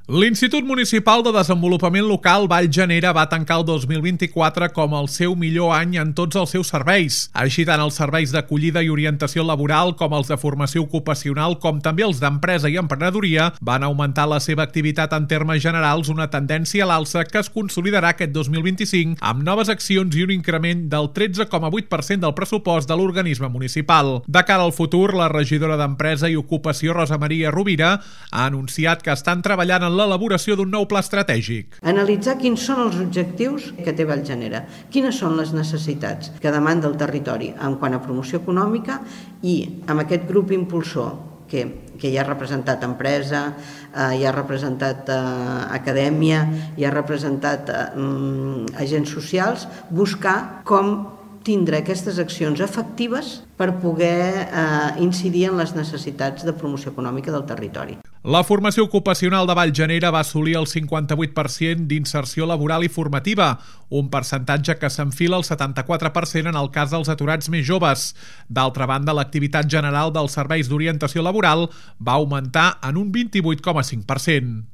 L'Institut Municipal de Desenvolupament Local Valljanera va tancar el 2024 com el seu millor any en tots els seus serveis. Així tant els serveis d'acollida i orientació laboral com els de formació ocupacional com també els d'empresa i emprenedoria van augmentar la seva activitat en termes generals, una tendència a l'alça que es consolidarà aquest 2025 amb noves accions i un increment del 13,8% del pressupost de l'organisme municipal. De cara al futur, la regidora d'Empresa i Ocupació, Rosa Maria Rovira, ha anunciat que estan treballant en l'elaboració d'un nou pla estratègic. Analitzar quins són els objectius que té Valljanera, quines són les necessitats que demanda el territori en quant a promoció econòmica i amb aquest grup impulsor que hi ha representat empresa, hi ha representat acadèmia, hi ha representat agents socials, buscar com tindre aquestes accions efectives per poder incidir en les necessitats de promoció econòmica del territori. La formació ocupacional de Valljanera va assolir el 58% d'inserció laboral i formativa, un percentatge que s'enfila al 74% en el cas dels aturats més joves. D'altra banda, l'activitat general dels serveis d'orientació laboral va augmentar en un 28,5%.